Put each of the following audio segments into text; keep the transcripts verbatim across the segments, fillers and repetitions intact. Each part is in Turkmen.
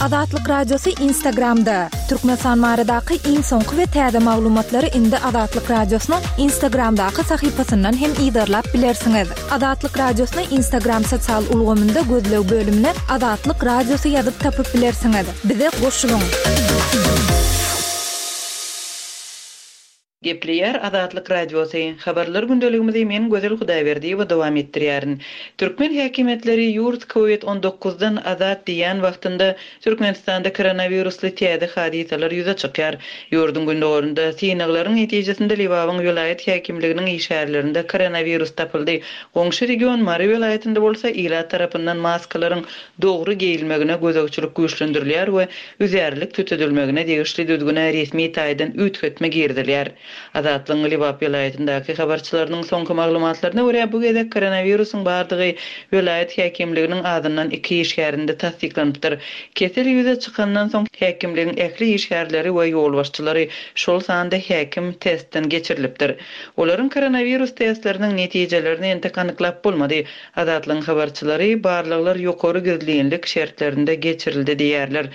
Azatlyk Radiosy Instagramda. Türkmenistan baradaky iň soňky we täze maglumatlary indi Azatlyk Radiosynyň Instagramdaky sahypasyndan hem yzarlap bilersiňiz. Azatlyk Radiosyny Instagram sosial ulgamynda gözleg bölümine Azatlyk Radiosy ýazyp tapyp bilersiňiz. Bize goşulyň. Gepleýär Azatlyk Radiosy. Habarlar gündeligimizi men Gözel Hudaýberdiýewa dowam etdirýärin. Türkmen häkimiýetleri ýurt Covid on dokuzdan azat diýýän wagtynda Türkmenistanda koronawirusly täze hadysalar ýüze çykýar. Ýurduň gündogarynda synaglaryň netijesinde Lebabyň welaýat häkimliginiň işgärlerinde koronawirus tapyldy. Goňşy region Mary welaýatynda bolsa ilat tarapyndan maskalaryň dogry geýilmegine gözegçilik güýçlendirilýär we üzärlik tütedilmegine degişli düzgüne resmi taýdan üýtgetme girizilýär. Azatlygyň Lebap welaýatyndaky habarçylarynyň soňky maglumatlaryna görä, bu gezek koronawirusyň bardygy welaýat häkimliginiň azyndan iki işgärinde tassyklanypdyr. Kesel ýüze çykandan soň häkimligiň ähli işgärleri we ýolbaşçylary, şol sanda häkim testden geçirilipdir. Olaryň koronawirus testleriniň netijelerini entek anyklap bolmady. Azatlygyň habarçylary barlaglar ýokary gizlinlik şertlerinde geçirildi diýerler.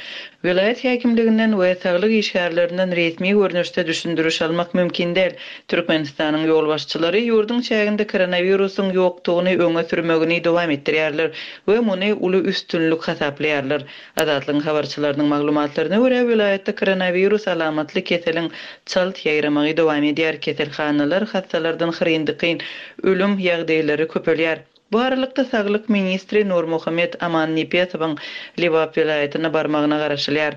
Welaýat häkimliginden we saglyk işgärlerinden resmi görnüşde düşündiriş almak mümkin däl. Türkmenistanyň ýolbaşçylary ýurduň çäginde koronawirusyň ýokdugyny öňe sürmegini dowam etdirýärler we muny uly üstünlik hasaplaýarlar. Azatlygyň habarçylarynyň maglumatlaryna görä, welaýatda koronawirus alamatly keseliň çalt ýaýramagy dowam edýär. Keselhanalar hassalardan hyryn-dykyn ölüm ýagdaýlary köpelýär. Bu aralykda saglyk ministri Nurmuhammet Aman Nepesowyň Lebap welaýatyna barmagyna garaşylýar.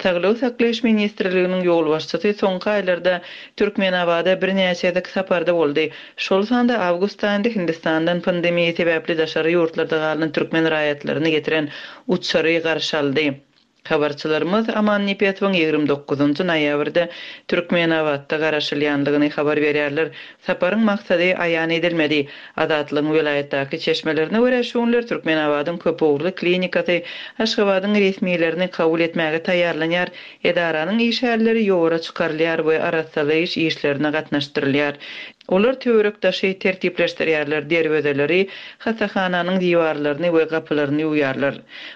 Saglygy saklaýyş ministrliginiň ýolbaşçysy soňky aýlarda Türkmenabada birnäçe gezek saparda boldy. Şol sanda awgust aýynda Hindistandan pandemiýa sebäpli daşary ýurtlarda galan türkmen raýatlaryny getiren uçary garşy aldy. Habarçylarymyz Aman Nepesowyň ýigrimi dokuzynjy noýabrda Türkmenabatda garaşylýanlygyny habar berýärler. Saparyň maksady aýan edilmedi. Azatlygyň welaýatdaky çeşmelerine görä, şu günler Türkmenabadyň köpugurly klinikasy Aşgabadyň resmilerini kabul etmäge taýýarlanýar. Edaranyň işgärleri ýowara çykarylýar we arassalaýyş işlerine gatnaşdyrylýar. Olar töwerekdaşy tertipleşdirýärler, derwezeleri, hasahananyň diwarlaryny we gapylaryny ýuwýarlar.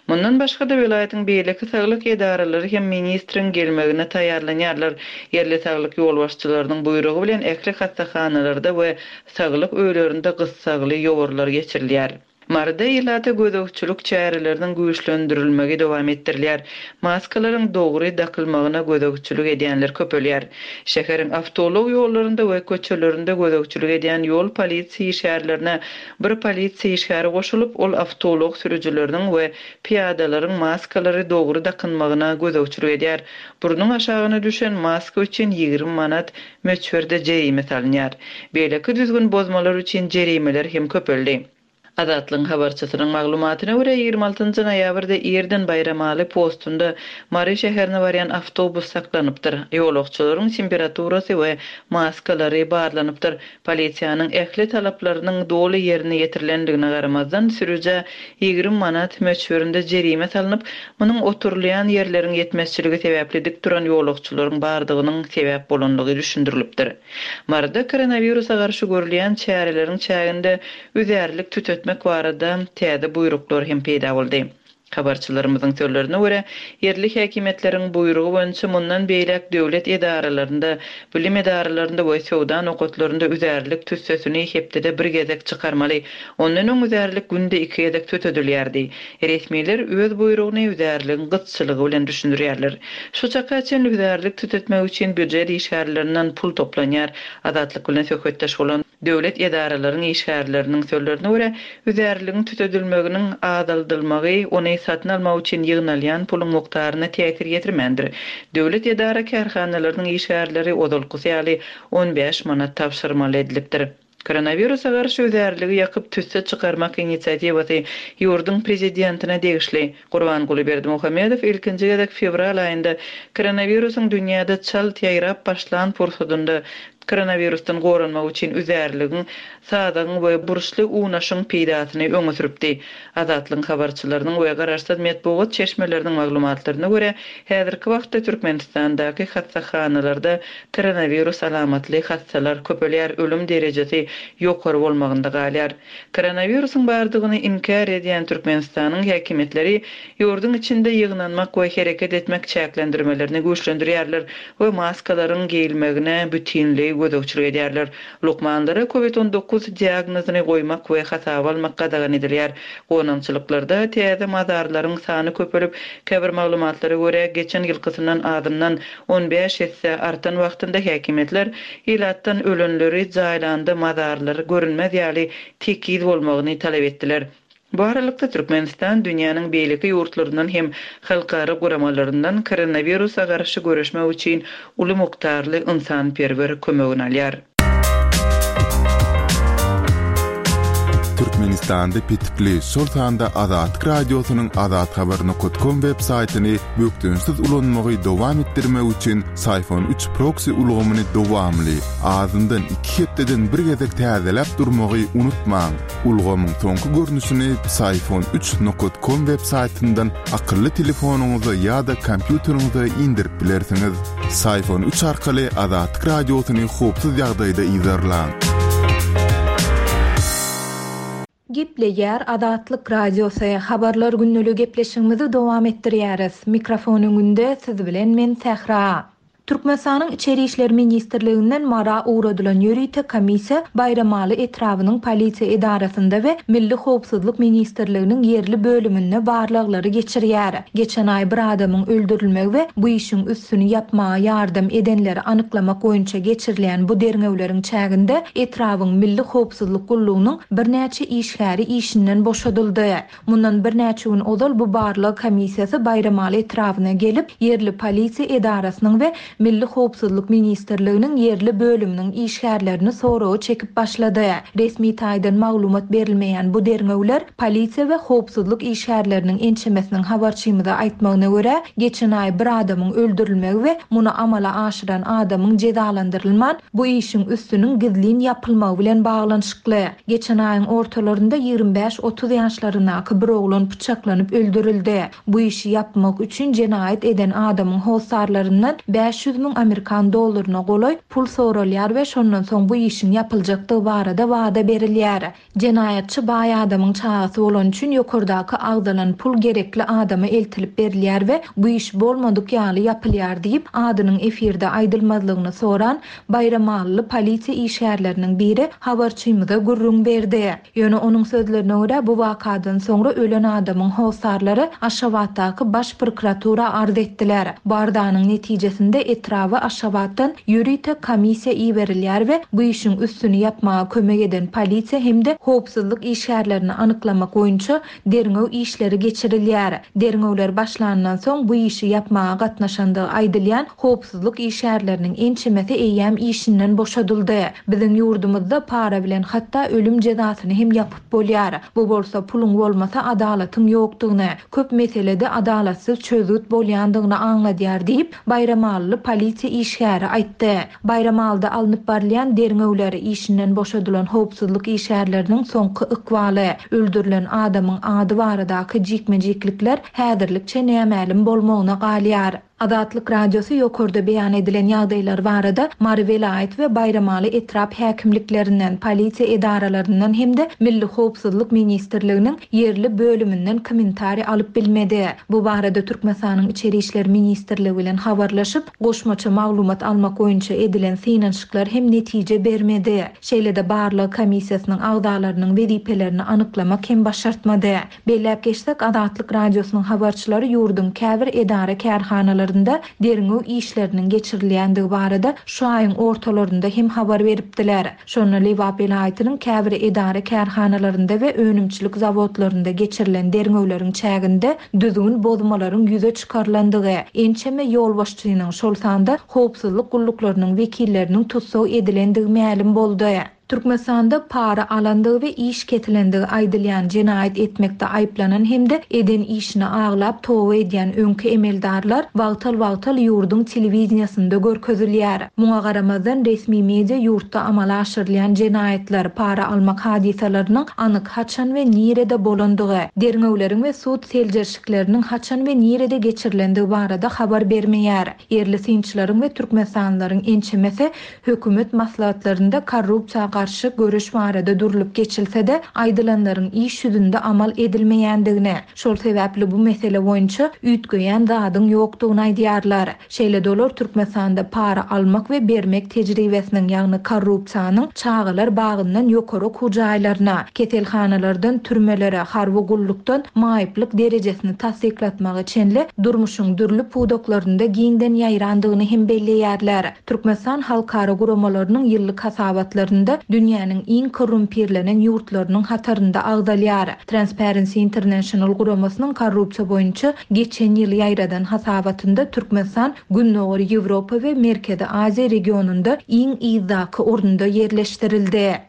Mundan başga-da welaýatyň beýleki saglyk edaralary hem ministriň gelmegine taýýarlanýarlar. Ýerli saglyk ýolbaşçylarynyň buýrugy bilen ähli hasahanalarda we saglyk öýlerinde gyssagly ýowarlar geçirilýär. Maryda ilata gözegçilik çäreleriniň güýçlendirilmegi dowam etdirilýär. Maskalaryň dogry dakylmagyna gözegçilik edýänler köpelýär. Şäheriň awtoulag ýollarynda we köçelerinde gözegçilik edýän ýol polisiýa işgärlerine bir polisiýa işgäri goşulyp, ol awtoulag sürüjileriniň we piýadalaryň maskalary dogry dakynmagyna gözegçilik edýär. Burnuň aşagyna düşen maska üçin ýigrimi manat möçberde jerime salynýar. Beýleki düzgün bozmalar üçin jerimeler hem köpeldi. Azatlygyň habarçysynyň maglumatyna görä, ýigrimi altynjy noýabrda irden Baýramaly postunda Mary şäherine barýan awtobus saklanypdyr. Ýolagçylaryň temperaturasy we maskalary barlanypdyr. Polisiýanyň ähli talaplarynyň doly ýerine ýetirilendigine garamazdan sürüjä ýigrimi manat möçberinde jerime salnyp, munuň oturylýan ýerleriň ýetmezçiligi sebäpli dik duran ýolagçylaryň bardygynyň sebäp bolanlygy düşündirilipdir. Maryda koronawirusa garşy görülýän çäreleriň çäginde üzärlik tütetmek barada täze buýruklar hem peýda boldy. Habarçylarymyzyň sözlerine görä, ýerli häkimiýetleriň buýrugy boýunça mundan beýläk döwlet edaralarynda, bilim edaralarynda we söwda nokatlarynda üzärlik tüssesini hepdede bir gezek çykarmaly. Ondan öň üzärlik günde iki gezek tütedilýärdi. Resmiler öz buýrugyny üzärligiň gytçylygy bilen düşündirýärler. Şu çaka çenli üzärlik tütetmek üçin býujet işgärlerinden pul toplanýar. Azatlyk bilen söhbetdeş bolan döwlet edaralaryň işgärleriniň sözlerine görä, üzärligiň tütedilmeginiň azaldylmagy ony satyn almak üçin ýygnalýan puluň mukdaryna täsir ýetirmändir. Döwlet edara kärhanalarynyň işgärleri ozalkysy ýaly on bäş manat tabşyrmaly edilipdir. Koronawirusa garşy üzärligi ýakyp tüsse çykarmak inisiatiwasy ýurduň prezidentine degişli. Gurbanguly Berdimuhamedow ilkinji gezek fewral aýynda koronawirusyň dünýäde çalt ýaýrap başlan pursadynda Koronawirusdan goranmak üçin üzärligiň, sazagyň we burçly unaşyň peýdasyny öňe sürüpdi. Azatlygyň habarçylarynyň we garaşsyz metbugat çeşmeleriniň maglumatlaryna görä, häzirki wagtda Türkmenistandaky hassahanalarda koronawirus alamatly hassalar köpelýär, ölüm derejesi ýokary bolmagynda galýar. Koronawirusyň bardygyny inkär edýän Türkmenistanyň häkimiýetleri ýurduň içinde ýygnanmak we hereket etmek çäklendirmelerini güýçlendirýärler we maskalaryň geýilmegine bütinleý gözegçilik edýärler. Lukmanlara COVID on dokuz diagnozyny goýmak we hasaba almak gadagan edilýär. Gonamçylyklarda täze mazarlaryň sany köpelip, käbir maglumatlara görä geçen ýylkysyndan azyndan on bäş esse artan wagtynda häkimiýetler ilatdan ölenleri jaýlanda mazarlar görünmez ýaly tekiz bolmagyny talap etdiler. Bu aralykda Türkmenistan dünýäniň beýleki ýurtlaryndan hem halkara guramalaryndan koronawirusa garşy göreşmek üçin uly mukdarly ynsanperwer kömegini alýar. Türkmenistanda petikli, şol sanda Azatlyk Radiosynyň azathabar nokta com web saýtyny bökdençsiz ulanmagy dowam etdirmek üçin Syfon üç proxy ulgamyny dowamly, azyndan iki hepdeden bir gezek täzeläp durmagy unutmaň. Ulgamyň soňky görnüşini Syfon üç nokta com web saýtyndan akylly telefonyňyza ýa-da kompýuteriňize indirip bilersiňiz. Syfon üç arkaly Azatlyk Radiosyny howpsuz ýagdaýda yzarlaň. Gepleýär Azatlyk Radiosy. Habarlar günlügi gepleşigimizi dowam etdirýäris. Mikrofon öňünde siz bilen men Sähra. Türkmenistanyň Içeri İşler Ministrliginden Mara ugradylan ýörite komissiýa Baýramaly etrabynyň polisiýa edarasynda we Milli Howpsuzlyk Ministrliginiň ýerli bölüminde barlaglary geçirýär. Geçen aý bir adamyň öldürilmegi we bu işiň üstüni ýapmaga ýardam edenleri anyklamak boýunça geçirilýän bu derňewleriň çäginde etrabyň Milli Howpsuzlyk gullugynyň birnäçe işgäri işinden boşadyldy. Mundan birnäçe gün ozal bu barlag komissiýasy Baýramaly etrabyna gelip, ýerli polisiýa edarasynyň we Milli Howpsuzlyk Ministrliginiň ýerli bölüminiň işgärlerini soragy çekip başlady. Resmi taýdan maglumat berilmeýän bu derňewler polisiýa we howpsuzlyk işgärleriniň ençemesiniň habarçymyza aýtmagyna görä, geçen aý bir adamyň öldürilmegi we muny amala aşyran adamyň jezalandyrylman, bu işiň üstüniň gizlin ýapylmagy bilen baglanyşykly. Geçen aýyň ortalarynda ýigrimi bäş otuz ýaşlaryndaky bir oglan pyçaklanyp öldürildi. Bu işi ýapmak üçin jenaýat eden adamyň hossarlaryndan bäş ýüz müň Amerikan dollaryna golaý pul soralýar we şondan soň bu işiň ýapyljakdygy barada wada berilýär. Jenaýatçy baý adamyň çagasy bolan üçin ýokardaky agzalan pul gerekli adama eltilip berilýär we bu iş bolmadyk ýaly ýapylýar diýip, adynyň efirde aýdylmazlygyny soran Baýramalyly polisiýa işgärleriniň biri habarçymyza gürrüň berdi. Ýöne onuň sözlerine görä bu wakadan soňra ölen adamyň hossarlary Aşgabatdaky baş prokuratura arz etdiler. Bu arzanyň netijesinde etraba Aşgabatdan ýörite komissiýa iberilýär we bu işiň üstüni ýapmaga kömek eden polisiýa hem-de howpsuzlyk işgärlerini anyklamak boýunça derňew işleri geçirilýär. Derňewler başlandan soň bu işi ýapmaga gatnaşandygy aýdylýan howpsuzlyk işgärleriniň ençemesi eýýäm işinden boşadyldy. Biziň ýurdumyzda para bilen hatda ölüm jezasyny hem ýapyp bolýar. Bu bolsa puluň bolmasa adalatyň ýokdugyny, köp meselede adalatsyz çözgüt bolýandygyny aňladýar diýip, Baýramalyly polisiýa işgäri aýtdy. Baýramalyda alnyp barylýan derňewler, işinden boşadylan howpsuzlyk işgärleriniň soňky ykbaly, öldürilen adamyň ady baradaky jikme-jiklikler häzirlikçe nämälim bolmagyna galýar. Azatlyk Radiosy ýokarda beýan edilen ýagdaýlar barada Mary welaýat we Baýramaly etrap häkimliklerinden, polisiýa edaralaryndan hem-de Milli Howpsuzlyk Ministrliginiň ýerli bölüminden kommentariý alyp bilmedi. Bu barada Türkmenistanyň Içeri İşler Ministrligi bilen habarlaşyp, goşmaça maglumat almak boýunça edilen synanyşyklar hem netije bermedi. Şeýle-de barlag komissiýasynyň agzalarynyň wezipelerini anyklamak hem başartmady. Belläp geçsek, Azatlyk Radiosynyň habarçylary ýurduň käbir edara kärhanalarynda derňew işleriniň geçirilýändigi barada şu aýyň ortalarynda hem habar beripdiler. Şonda Lebap welaýatynyň käbir edara kärhanalarynda we önümçilik zawodlarynda geçirilen derňewleriň çäginde düzgün bozmalaryň ýüze çykarylandygy, ençeme ýolbaşçynyň, şol sanda howpsuzlyk gulluklarynyň wekilleriniň tussag edilendigi mälim boldy. Türkmenistanda para alandygy we iş kesilendigi aýdylýan jenaýat etmekde aýyplanan hem-de eden işini aglap toba edýän öňki emeldarlar wagtal-wagtal ýurduň telewideniýesinde görkezilýär. Muňa garamazdan resmi media ýurtda amala aşyrylýan jenaýatlar, para almak hadysalarynyň anyk haçan we nirede bolandygy, derňewleriň we sud seljerişikleriniň haçan we nirede geçirilendigi barada habar bermeýär. Ýerli synçylaryň we Türkmenistanlylaryň ençemesi hökümet maslahatlarynda korrupsiýa garşy göreş barada durulyp geçilse-de, aýdylanlaryň iş ýüzünde amal edilmeýändigini, şol sebäpli bu mesele boýunça üýtgeýän zadyň ýokdugyny aýdýarlar. Şeýle-de olar Türkmenistanda para almak we bermek tejribesiniň, ýagny korrupsiýanyň çagalar bagyndan ýokary okuw jaýlaryna, keselhanalardan türmelere, harby gullukdan maýyplyk derejesini tassyklatmaga çenli durmuşyň dürli pudaklarynda giňden ýaýrandygyny hem belleýärler. Türkmenistan halkara guramalarynyň ýyllyk hasabatlarynda dünýäniň iň korrumpirlenen ýurtlarynyň hatarynda agzalýar. Transparency International guramasynyň korrupsiýa boýunça geçen ýyl ýaýradan hasabatynda Türkmenistan Gündogar Ýewropa we Merkezi Aziýa regionynda iň yzdaky orunda ýerleşdirildi.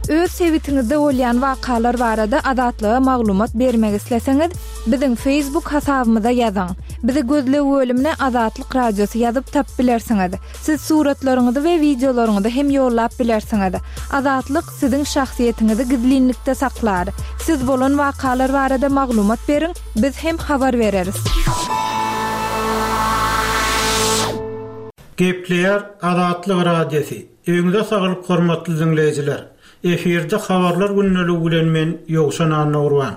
Öz sebitiňizde bolýan wakalar barada Azatlyga maglumat bermek isleseňiz, biziň Facebook hasabymyza ýazyň. Bizi gözleg bölümine Azatlyk Radiosy ýazyp tapyp bilersiňiz. Siz suratlaryňyzy we wideolaryňyzy hem ýollap bilersiňiz. Azatlyk siziň şahsyýetiňizi gizlinlikde saklar. Siz bolan wakalar barada maglumat beriň, biz hem habar bereris. Gepleýär Azatlyk Radiosy. Öňüňize saglyk hormatly dinleýjiler. Efirde habarlar gündeligi bilen men Ýowşan Annagurban.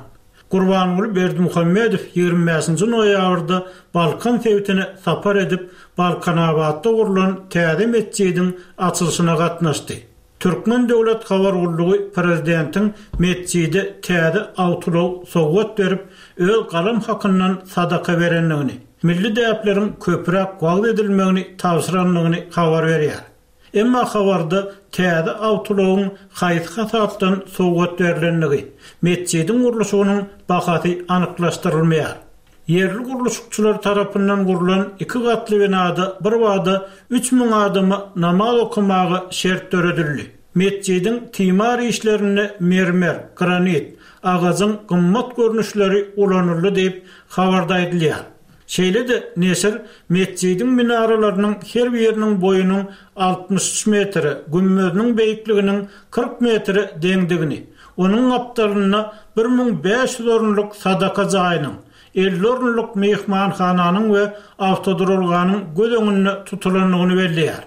Gurbanguly Berdimuhamedow ýigrimi bäşinji noýabrda Balkan sebitine sapar edip, Balkanabatda gurlan täze metjidiň açylyşyna gatnaşdy. Türkmen döwlet habar gullugy prezidentiň metjide täze awtoulag sowgat berip, öz galam hakyndan sadaka berendigini, milli däpleriň köpräk wagyz edilmegini tabşyrandygyny habar berýär. Emma habarda täze awtoulagyň haýsy hasapdan sowgat berlendigi, metjidiň gurluşygynyň bahasy anyklaşdyrylmaýar. Ýerli gurluşykçylar tarapyndan gurlan iki gatly binada bir wada üç müň adama namaz okamaga şert döredildi. Metjidiň timar işlerinde mermer, granit, agajyň gymmat görnüşleri ulanyldy diýip habarda aýdylýar. Şeýle-de neşir metjidiň minaralarynyň her biriniň boýunyň altmyş üç metre, gümmeziniň beýikliginiň kyrk metre deňdigini, onuň gapdalynda bir müň bäş ýüz orunlyk sadaka jaýynyň, elli orunlyk myhmanhananyň we awtoduralganyň göz öňünde tutulandygyny belleýär.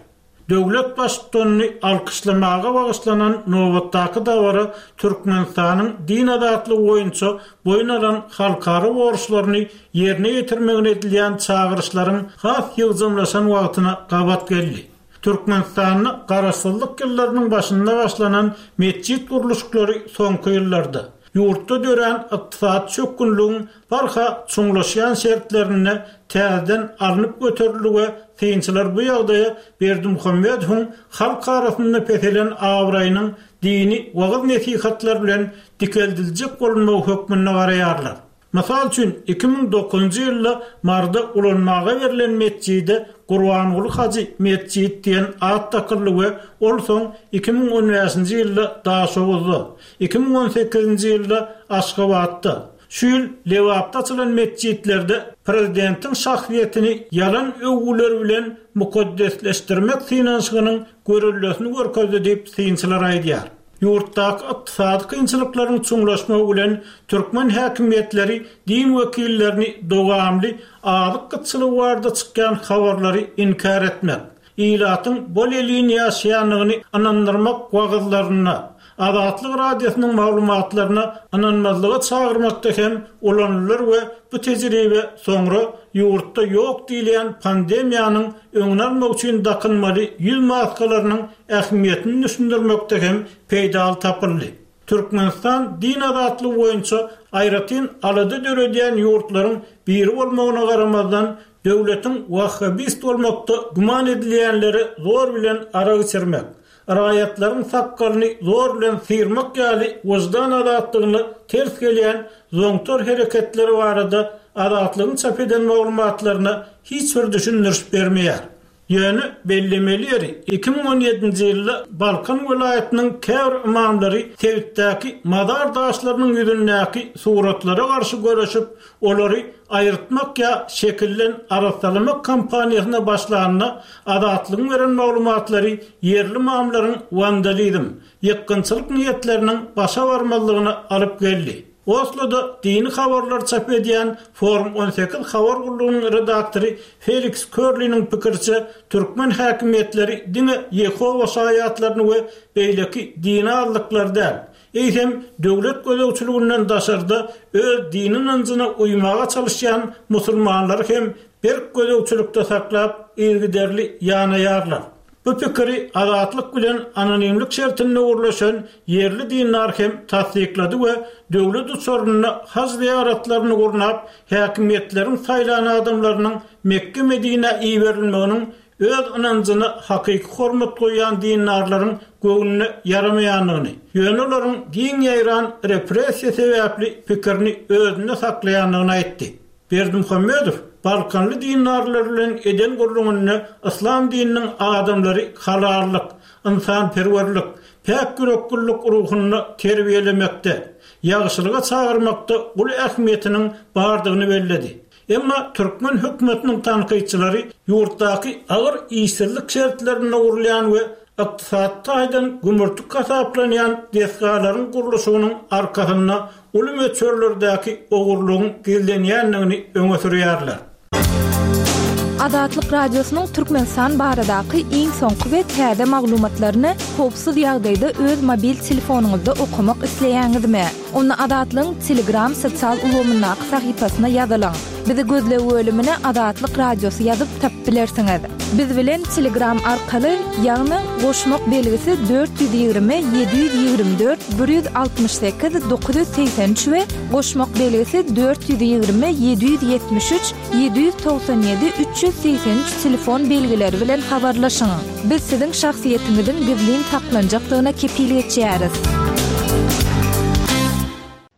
Döwlet baştutanyny alkyşlamaga bagyşlanan nobatdaky dabara Türkmenistanyň din azatlygy boýunça boýun alan halkara borçlaryny ýerine ýetirmegine edilýän çagyryşlaryň has ýygjamlaşan wagtyna gabat geldi. Türkmenistanda garaşsyzlyk ýyllarynyň başynda başlanan metjit gurluşyklary soňky ýyllarda ýurtda dörän ykdysady çökgünligiň barha çuňlaşýan şertlerinde täzeden alnyp göterildi we synçylar bu ýagdaýa Berdimuhamedowyň halk arasynda peselen abraýynyň dini wagyz nesihatlar bilen dikeldiljek bolunmagy hökmünde garaýarlar. Mysal üçin, iki müň dokuzynjy ýylda Marda ulanmaga berlen metjide Gurbanguly Hajy metjit diýen at dakyldy we ol soň iki müň on bäşinji ýylda Daşoguzda, iki müň on sekizinji ýylda Aşgabatda, şu ýyl Lebapda açylan metjitlerde prezidentiň şahsyýetini ýalan öwgüler bilen mukaddesleşdirmek synanyşygynyň görellesini görkezdi diýip synçylar aýdýar. Ýurtdaky ykdysady kynçylyklaryň çuňlaşmagy bilen türkmen häkimiýetleri din wekillerini dowamly azyk gytçylygy barada çykýan habarlary inkär etmek, ilatyň bol elin ýaşaýandygyny ynandyrmak wagyzlarynda, Azatlyk Radiosynyň maglumatlaryna ynanmazlyga çagyrmakda hem ulanylar we bu tejribe soňra ýurtda ýok diýilýän pandemiýanyň öňüni almak üçin dakynmaly ýüz maskalarynyň ähmiýetini düşündirmekde hem peýdaly tapyldy. Türkmenistan din azatlygy boýunça aýratyn alada döredýän ýurtlaryň biri bolmagyna garamazdan, döwletiň wahhabist bolmakda güman edilýänleri zor bilen arak içirmek, raýatlaryň sakgalyny zor bilen syrmak ýaly wyždan azatlygyna ters gelýän zoňtar hereketleri barada Azatlygyň çap eden maglumatlaryna hiç bir düşündiriş bermeýär. Ýöne bellemeli ýeri, iki müň on ýedinji ýylda Balkan welaýatynyň käbir ymamlary sebitdäki mazar daşlarynyň ýüzündäki suratlara garşy göreşip, olary aýyrtmak ýa şekilden arassalamak kampaniýasyna başlanda, Azatlygyň beren maglumatlary ýerli ymamlaryň wandalizm, ýykgynçylyk niýetleriniň başa barmazlygyna alyp geldi. Osloda dini habarlary çap edýän Forum on sekiz habar gullugynyň redaktory Feliks Körliniň pikiriçe, türkmen häkimiýetleri diňe Ýehowa şaýatlaryny we beýleki dini azlyklary däl, eýsem, döwlet gözegçiliginden daşarda öz dini ynanjyna uýmaga çalyşýan musulmanlary hem berk gözegçilikde saklap, yzygiderli ýanaýarlar. Bu pikiri Azatlyk bilen anonimlik şertinde gürleşen ýerli dindar hem tassyklady we döwlet uçarynda haj zyýaratlaryny gurnap, häkimiýetleriň saýlan adamlarynyň Mekge-Medinä iberilmeginiň öz ynanjyna hakyky hormat goýýan dindarlaryň göwnüne ýaramaýandygyny, ýöne olaryň giň ýaýran repressiýa sebäpli pikirini özünde saklaýandygyny aýtdy. Berdimuhamedow balkanly dindarlar bilen eden gürrüňinde yslam dininiň adamlary halallyk, ynsanperwerlik, päk ýüreklilik ruhunda terbiýelemekde, ýagşylyga çagyrmakda uly ähmiýetiniň bardygyny belledi. Emma türkmen hökümetiniň tankytçylary ýurtdaky agyr işsizlik şertlerinde gurulýan we ykdysady taýdan gümürtik hasaplanýan desgalaryň gurluşygynyň arkasynda uly möçberlerdäki ogurlygyň gizlenýändigini öňe sürýärler. Azatlyk Radiosynyň Türkmenistan baradaky iň soňky we täze maglumatlaryny howpsuz ýagdaýda öz mobil telefonyňyzda okamak isleýäňizmi? Onda Azatlygyň Telegram sosial ulgamyndaky sahypasyna ýazylyň. Bizi gözleg bölümine Azatlyk Radiosy ýazyp tapyp bilersiňiz. Biz bilen Telegram arkaly, ýagny goşmak belgisi dört ýüz ýigrimi, ýedi ýüz ýigrimi dört, bir ýüz altmyş sekiz, dokuz ýüz segsen üç we goşmak belgisi dört ýüz ýigrimi, ýedi ýüz ýetmiş üç, ýedi ýüz togsan ýedi, üç ýüz segsen üç telefon belgileri bilen habarlaşyň. Biz siziň şahsyýetiňiziň gizlin saklanjakdygyna kepil geçýäris.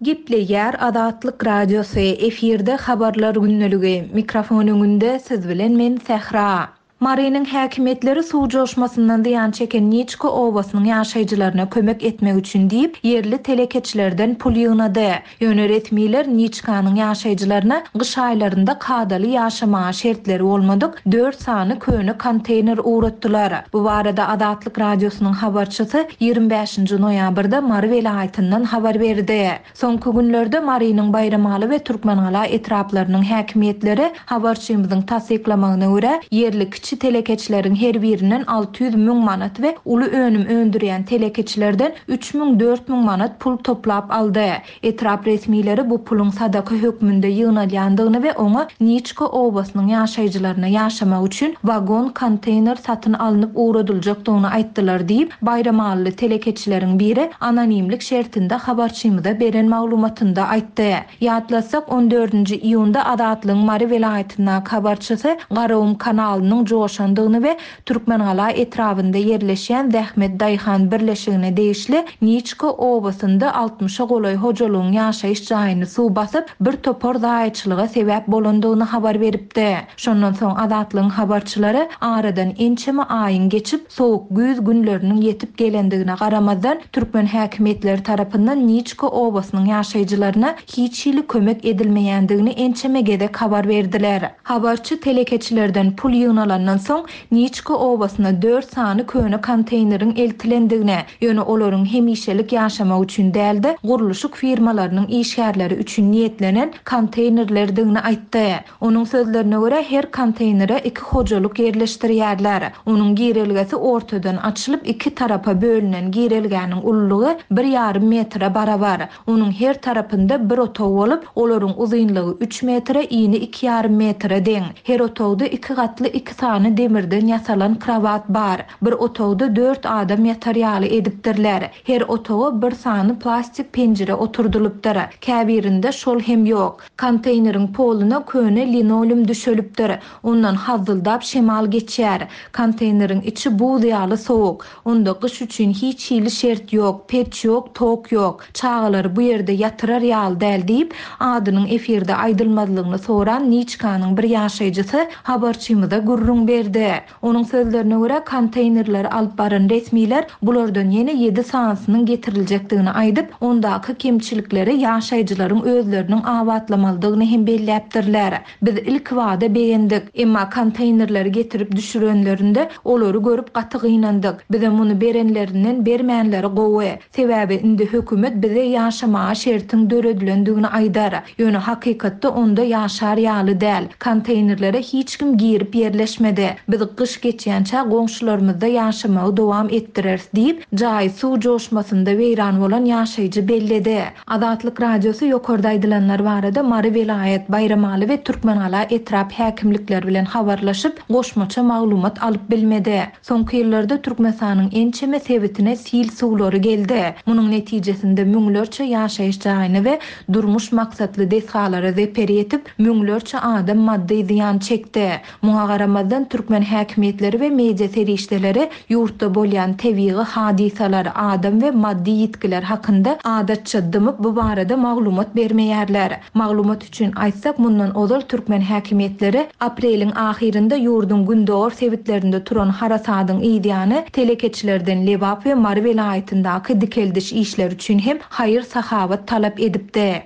Gepleýär Azatlyk Radiosy, efirde habarlar gündeligi, mikrofon öňünde siz bilen men Sähra. Marynyň häkimiýetleri suw joşmasyndan zyýan çeken Niçka obasynyň ýaşaýjylaryna kömek etmek üçin diýip, ýerli telekeçilerden pul ýygnady. Ýöne resmiler Niçkanyň ýaşaýjylaryna gyş aýlarynda kadaly ýaşamaga şertleri bolmadyk dört sany köne konteýner ugratdylar. Bu barada Azatlyk Radiosynyň habarçysy ýigrimi bäşinji noýabrda Mary welaýatyndan habar berdi. Soňky günlerde Marynyň Baýramaly we Türkmengala etraplarynyň häkimiýetleri habarçymyzyň tassyklamagyna görä ýerli kiçi telekeçileriň her birinden alty ýüz müň manat we uly önüm öndürýän telekeçilerden üç müň dört müň manat pul toplap aldy. Etrap resmileri bu puluň sadaka hökmünde ýygnalýandygyny we oňa Niçka obasynyň ýaşaýjylaryna ýaşamak üçin wagon konteýner satyn alnyp ugradyljakdygyny aýtdylar diýip, Baýramalyly telekeçileriň biri anonimlik şertinde habarçymyza beren maglumatynda aýtdy. Ýatlasak, on dördünji iýunda Azatlygyň Mary welaýatyndaky habarçysy Garagum kanalynyň joşandygyny we Türkmengala etrabynda ýerleşýän Zähmet Daýhan birleşigine degişli Niçka obasynda altmyşa golaý hojalygyň ýaşaýyş jaýyny suw basyp, bir topar zaýaçylyga sebäp bolandygyny habar beripdi. Şondan soň Azatlygyň habarçylary aradan ençeme aýyň geçip, soğuk güýz günleriniň ýetip gelendigine garamazdan, türkmen häkimiýetleri tarapyndan Niçka obasynyň ýaşaýjylaryna hiç hili kömek edilmeýändigini ençeme gezek habar berdiler. Habarçy telekeçilerden pul ýygnalandan soň Niçka obasyna dört sany köne konteýneriň eltilendigine, ýöne olaryň hemişelik ýaşamak üçin dälde gurluşyk firmalarynyň işgärleri üçin niýetlenen konteýnerlerdigini aýtdy. Onuň sözlerine görä her konteýnere iki hojalyk ýerleşdirýärler. Onuň girelgesi ortadan açylyp iki tarapa bölünen girelgäniň ululygy bir ýarym metre barabar. Onuň her tarapynda bir otag bolup, olaryň uzynlygy üç metre, ini iki ýarym metre deň. Her otagda iki gatly iki sany sany demirden ýasalan krowat bar. Bir otagda dört adam ýatar ýaly edipdirler. Her otaga bir sany plastik penjire oturdylypdyr. Käbirinde şol hem ýok. Konteýneriň poluna köne linoleum düşelipdir. Ondan hazzyldap şemal geçýär. Konteýneriň içi buz ýaly sowuk. Onda gyş üçin hiç hili şert ýok, peç ýok, tok ýok. Çagalary bu ýerde ýatyrar ýaly däl diýip, adynyň efirde aýdylmazlygyny soran Niçkanyň bir ýaşaýjysy habarçymyza gürrüň berdi. Onuň sözlerine görä konteýnerleri alyp baran resmiler bulardan ýene ýedi sanysynyň getiriljekdigini aýdyp, ondaky kemçilikleri ýaşaýjylaryň özleriniň abatlamalydygyny hem belläpdirler. Biz ilk wada begendik, emma konteýnerleri getirip düşürenlerinde olary görüp gaty gynandyk. Bize muny berenlerinden bermänleri gowy. Sebäbi indi hökümet bize ýaşamaga şertiň döredilendigini aýdar. Ýöne hakykatda onda ýaşar ýaly däl. Konteýnerlere hiç kim girip ýerleşmedi. Biz gyş geçýänçä goňşularymyzda ýaşamagy dowam etdireris diýip, jaý suw joşmasynda weýran bolan ýaşaýjy belledi. Azatlyk Radiosy ýokarda aýdylanlar barada Mary welaýat, Baýramaly we Türkmengala etrap häkimlikleri bilen habarlaşyp, goşmaça maglumat alyp bilmedi. Soňky ýyllarda Türkmenistanyň ençeme sebitine sil suwlary geldi. Munuň netijesinde müňlerçe ýaşaýyş jaýyny we durmuş maksatly desgalara zeper ýetip, müňlerçe adam maddy zyýan çekdi. Muňa garamazdan türkmen häkimiýetleri we media serişdeleri ýurtda bolýan tebigy hadysalar, adam we maddy ýitgiler hakynda adatça dymyp bu barada maglumat bermeýärler. Maglumat üçin aýtsak, mundan ozal türkmen häkimiýetleri apreliň ahyrynda ýurduň gündogar sebitlerinde turan harasadyň ýany telekeçilerden Lebap we Mary welaýatyndaky dikeldiş işleri üçin hem haýyr sahabat talap edipdi.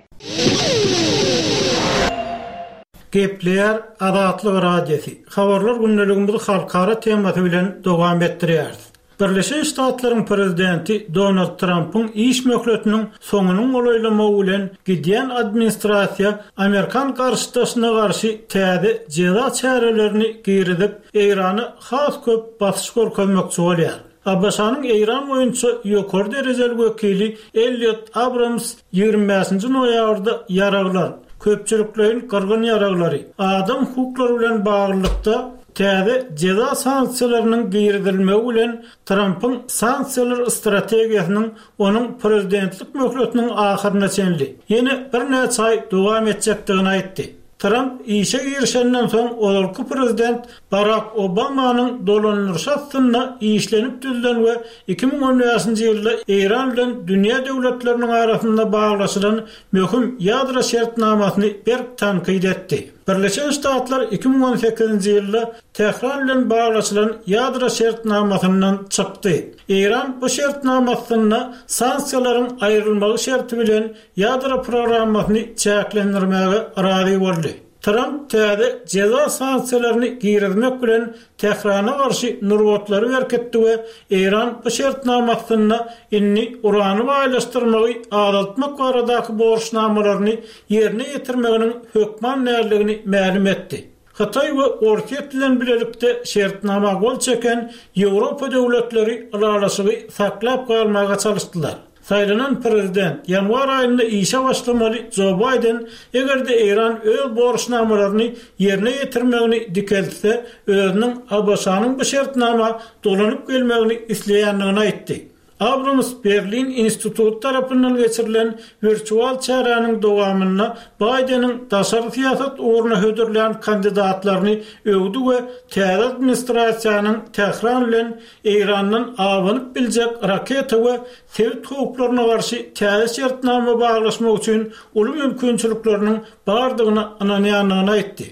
Gepleýär Azatlyk Radiosy. Habarlar gündeligimizi halkara temasy bilen dowam etdirýäris. Birleşen Ştatlaryň prezidenti Donald Trumpyň iş möhletiniň soňunyň golaýlamagy bilen gidýän administrasiýa Amerikan garşydaşyna garşy täze jeza çärelerini girizip, Eýrana has köp basyş görkezmekçi bolýar. ABŞ-nyň Eýran boýunça ýokary derejeli wekili Elliot Abrams ýigrimi bäşinji noýabrda ýaraglar, köpçülikleýin gyrgyn ýaraglary, adam hukuklary bilen baglylykda täze jeza sanksiýalarynyň girizilmegi bilen Trumpyň sanksiýalar strategiýasynyň onuň prezidentlik möhletiniň ahyryna çenli ýene birnäçe aý dowam etjekdigini aýtdy. Trump işe girişenden soň ozalky prezident Barak Obamanyň dolandyryşy astynda işlenip düzülen we iki müň on bäşinji ýylda Eýran bilen dünýä döwletleriniň arasynda baglaşylan möhüm ýadro şertnamasyny berk tankyt etdi. Birleşen Ştatlar iki müň on sekizinji ýylda Tähran bilen baglaşylan ýadro şertnamasyndan çykdy. Eýran bu şertnamasynda sanksiýalaryň aýrylmagy şerti bilen ýadro programmasyny çäklendirmäge razy boldy. Trump täze jeza sanksiýalaryny girizmek bilen Tährana garşy nurbatlary berkitdi we Eýran bu şertnamasynda indi urany baýlaşdyrmagy azaltmak baradaky borçnamalaryny ýerine ýetirmeginiň hökman däldigini mälim etdi. Hytaý we Orsýet bilen bilelikde şertnama gol çeken Ýewropa döwletleri ylalaşygy saklap galmaga çalyşdylar. Saýlanan prezident ýanwar aýynda işe başlamaly Joe Biden eger-de Eýran öz borçnamalaryny ýerine ýetirmegini dikeltse, özüniň ABŞ-nyň bu şertnama dolanyp gelmegini isleýändigini aýtdy. Abrams Berlin instituty tarapyndan geçirilen wirtual çäräniň dowamynda Bideniň daşary syýasat ugruna hödürlän kandidatlaryny öwdi we täze administrasiýanyň Tähran bilen Eýrandan abanyp biljek raketa we sebit howplaryna garşy täze şertnama baglaşmak üçin uly mümkinçilikleriniň bardygyna ynanýandygyny aýtdy.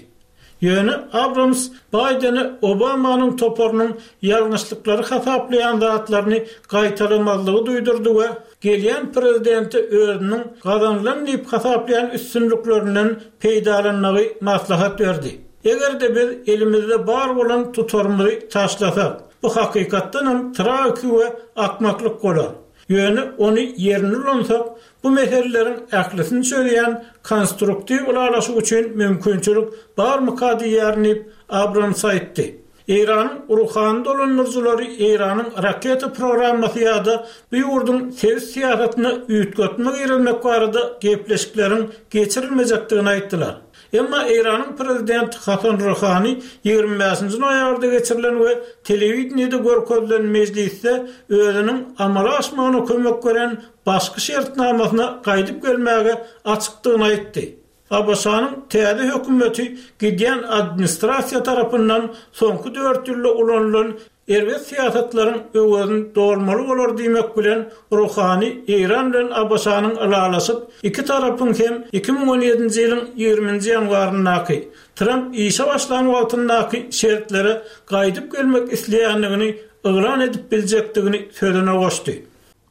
Ýöne Abrams Bideni Obamanyň toparynyň ýalňyşlyklary hasaplaýan zatlaryny gaýtalamazlygy duýdurdy we gelýän prezidente özüniň gazanylan diýip hasaplaýan üstünliklerinden peýdalanmagy maslahat berdi. Eger-de biz elimizde bar bolan tutarymyzy taşlasak, bu hakykatdanam tragiki we akmaklyk bolar. Ýöne ony ýerinde ulansak, bu meseleleriň ählisini çözýän konstruktiw ylalaşyk üçin mümkinçilik barmyka diýýärin diýip Abrams aýtdy. Eýranyň ruhany dolandyryjylary Eýranyň raketa programmasy ýa-da bu ýurduň sebit syýasatyna üýtgetme girizmek barada gepleşikleriň geçirilmejekdigini aýtdylar. Emma Eýranyň prezidenti Hasan Ruhani ýigrimi bäşinji noýabrda geçirilen we telewideniýede görkezilen mejlisde özüniň amala aşmagyna kömek beren başky şertnamasyna gaýdyp gelmäge açykdygyny aýtdy. ABŞ-nyň täze hökümeti gidýän administrasiýa tarapyndan soňky dört ýylda ulanylan erbet syýasatlaryň öwezini dolmaly bolar diýmek bilen, Ruhani Eýran bilen ABŞ-nyň ylalaşyp, iki tarapyň hem iki müň on ýedinji ýylyň ýigriminji ýanwaryndaky, Tramp işe başlan wagtyndaky şertlere gaýdyp gelmek isleýändigini yglan edip biljekdigini sözüne goşdy.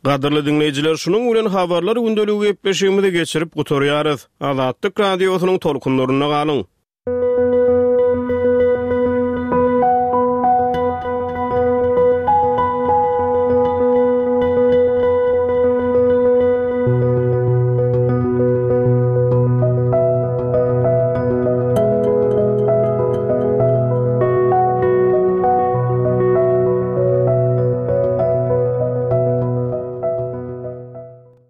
Gadyrly diňleýjiler, şunuň bilen Habarlar gündeligi gepleşigimizi geçirip gutarýarys. Azatlyk Radiosynyň tolkunlarynda galyň!